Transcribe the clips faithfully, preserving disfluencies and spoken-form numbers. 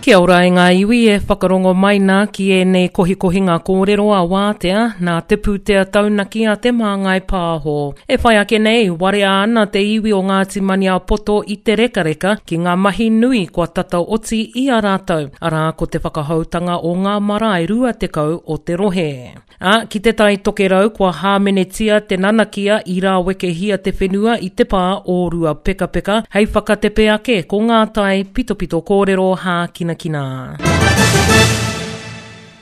Kia ora e ngā iwi e whakarongo mai nā ki ēnei kohikohinga kōrero a wātea nā te pūtea taunaki a Te Māngai Pāho. E whai ake nei, warea ana te iwi o Ngāti Maniapoto i te rekareka ki ngā mahi nui kua tata oti i a rātou, arā ko te whakahoutanga o ngā marae rua tekau o te rohe. Ā, ki te Tai Tokerau kua hāmenetia te nanakia i rāwekehia te whenua i te pā o Ruapekapeka hei whakatepe ake ko ngā tai pitopito kōrero hākinakina.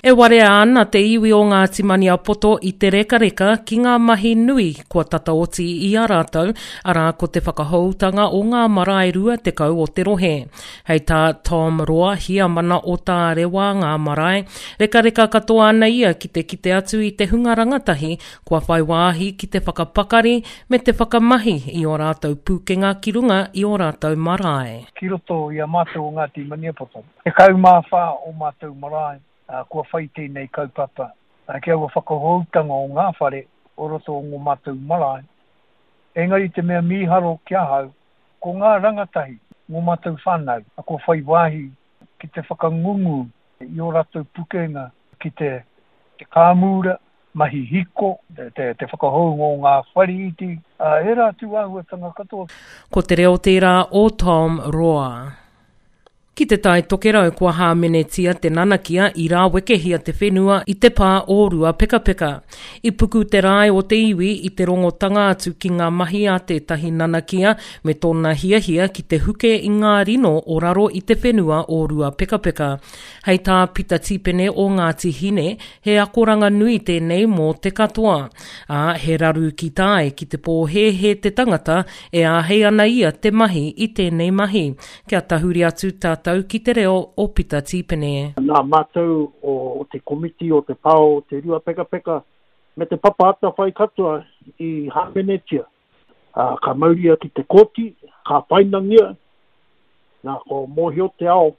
E warea ana te iwi o Ngāti Maniapoto i te rekareka ki ngā mahi nui kua tata oti i a rātou, arā ko te whakahoutanga o ngā marae rua tekau o te rohe. Hei tā Tom Roa, hiamana o Tārewa ngā marae, rekareka katoa ana ia ki te kite atu i te hunga rangatahi kua whai wāhi ki te whakapakari me te whakamahi i ō rātou pūkenga ki runga i ō rātou marae. Ki roto i a mātou o Ngāti Maniapoto, tekau mā whā o mātou marae, kua whai tēnei kaupapa, ki aua whakahoutanga o ngā whare o roto o ngō mātou marae. Engari te mea mīharo ki ahau, ko ngā rangatahi, ngō mātou whānau, kua whai wāhi ki te whakangungu i ō rātou pukenga ki te, te kāmura, mahi hiko, te, te, te whakahou ngō ngā whare iti, ērā atu āhuatanga katoa. Ko te reo tērā o Tom Roa. Ki te Tai Tokerau kua hāmenetia te nanakia i rāwekehia te whenua i te pā o Ruapekapeka. I puku te rae o te iwi i te rongotanga atu ki ngā mahi a tētahi nanakia me tōna hiahia ki te huke i ngā rino o raro i te whenua o Ruapekapeka. Hei tā Pita Tipene o Ngāti Hine, he akoranga nui tēnei mō te katoa. Ā, he raru ki tāe ki te pōhēhē te tangata e āhei ana ia te mahi i tēnei mahi. Kia tahuri atu tātou ki te reo o Pita Tipene. Nā mātou o, o te komiti o te pao o te Ruapekapeka me te papa atawhai katoa i hāmenetia. Uh, ka mauria ki te kōti, ka painangia, nā ko mōhio te ao,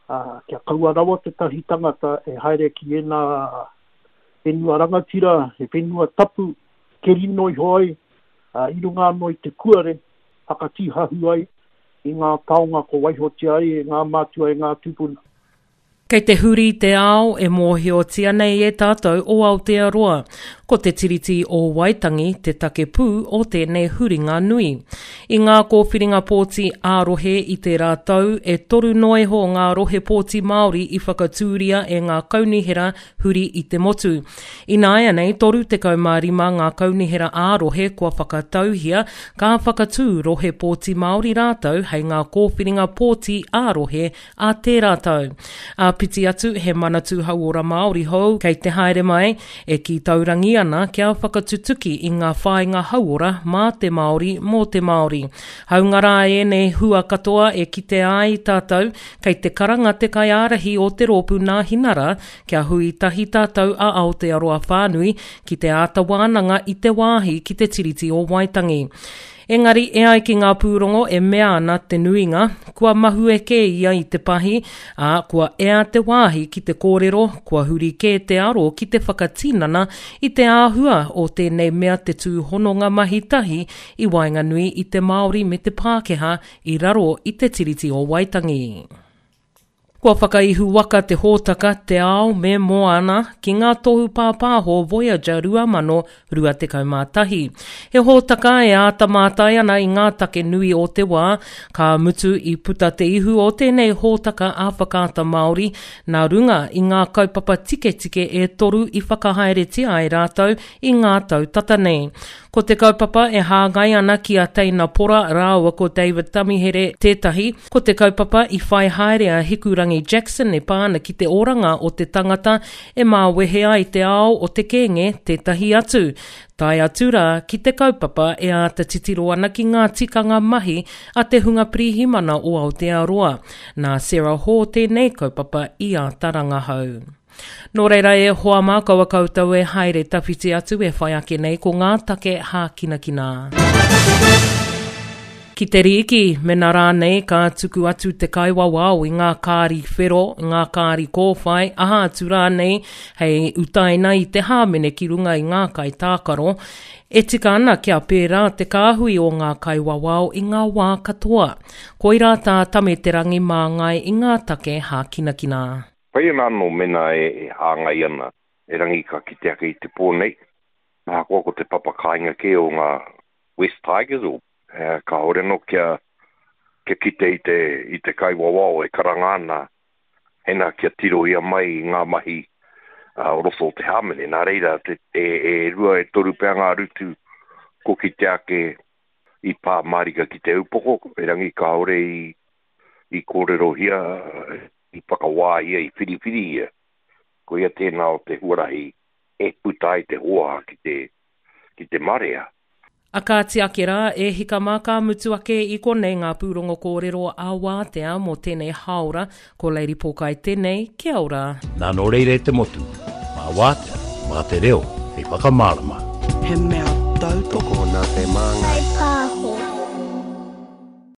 uh, kia kaua rawa te tahi tangata e haere ki ēnā whenua rangatira, he whenua tapu, keri noi hoi, uh, i runga anō i te kuare, whakatihahu ai i ngā taonga ko waihotia ai e ngā mātua e ngā tūpuna. Kei te huri te ao e mōhiotia nei e tātou o Aotearoa. Ko te Tiriti o Waitangi te take pū o tēnei huringa nui. I ngā kōwhiringa pōti ā-rohe i tērā tau, e toru noa iho ngā rohe pōti Māori i whakatūria e ngā kaunihera huri i te motu. Ināianei, toru tekau mā rima ngā kaunihera ā-rohe kua whakatauhia, ka whakatū rohe pōti Māori rātou hei ngā kōwhiringa pōti ā-rohe a tērā tau. Āpiti atu, he manatū hauora Māori hou kei te haere mai, e ki taurangi ana kia whakatutuki i ngā whāinga hauora mā te Māori mō te Māori. Haunga rā ēnei hua katoa e kite ai tātou, kei te karanga te kaiārahi o te rōpū Nāhinara kia hui tahi tātou a Aotearoa whānui ki te āta wānanga i te wāhi ki te Tiriti o Waitangi. Engari e ai ki ngā pūrongo e mea ana te nuinga, kua mahue kē ia i te pahi, ā, kua ea te wāhi ki te kōrero, kua huri kē te aro ki te whakatinana i te āhua o tēnei mea te tūhononga mahi tahi i waenganui i te Māori me te Pākehā i raro i te Tiriti o Waitangi. Kua whakaihu waka te hōtaka Te Ao me Moana ki ngā tohu pāpāho Voyager rua mano rua tekau mā tahi. He hōtaka e āta mātai ana i ngā take nui o te wā, ka mutu i puta te ihu o tēnei hōtaka a Whakaata Māori, nā runga i ngā kaupapa tiketike e toru i whakahaeretia ai rātou i ngā tau tata nei. Ko te kaupapa e hāngai ana ki a Teina Pora rāua ko David Tamihere tētahi, ko te kaupapa i whai haere a Hikurangi Jackson e pā ana ki te oranga o te tangata e māwehe ai te ao o te kēnge tētahi atu. Tae atu rā ki te kaupapa e āta titiro ana ki ngā tikanga mahi a te hunga pirihimana o Aotearoa. Nā Sarah Hall tēnei kaupapa i āta rangahau. Nō reira e hoa mā kaua koutou e haere tawhiti atu e whai ake nei ko ngā take hākinakina. Ki te rīki, mena rānei ka tuku atu te kaiwawao i ngā kāri whero, i ngā kāri kōwhai, aha atu rānei hei utaina i te hāmene ki runga i ngā kaitākaro, e tika ana kia pērā te kāhui o ngā kaiwawao i ngā wā katoa. Koirā tā Tame Te Rangi māngai i ngā take hākinakina. Pai ana anō mēnā e hāngai ana, erangi ka kite ake i te pō nei, ahakoa ko te papa kāinga kē o ngā West Tigers, o, kāore anō kia, kia kite i te, i te kaiwawao e karanga ana, hena kia tirohia mai i ngā mahi uh, o roto o te hāmene. Nā reira, te, e, e rua e toru pea ngā rutu ko kite ake i pā mārika ki te upoko, erangi kāore i, i kōrerohia, i whakawāhia, i whiriwhirihia. Ko ia tēnā o te huarahi e puta ai te hoa ki te, ki te marea. A kāti ake rā, e hika mā ka mutu ake i konei ngā pūrongo kōrero a wātea mō tēnei hāora, ko Lady Pōkai tēnei, kia ora. Nā nō reira e te motu, mā wātea, mā te reo, hei whakamārama. He mea tautoko Tokona te māngai.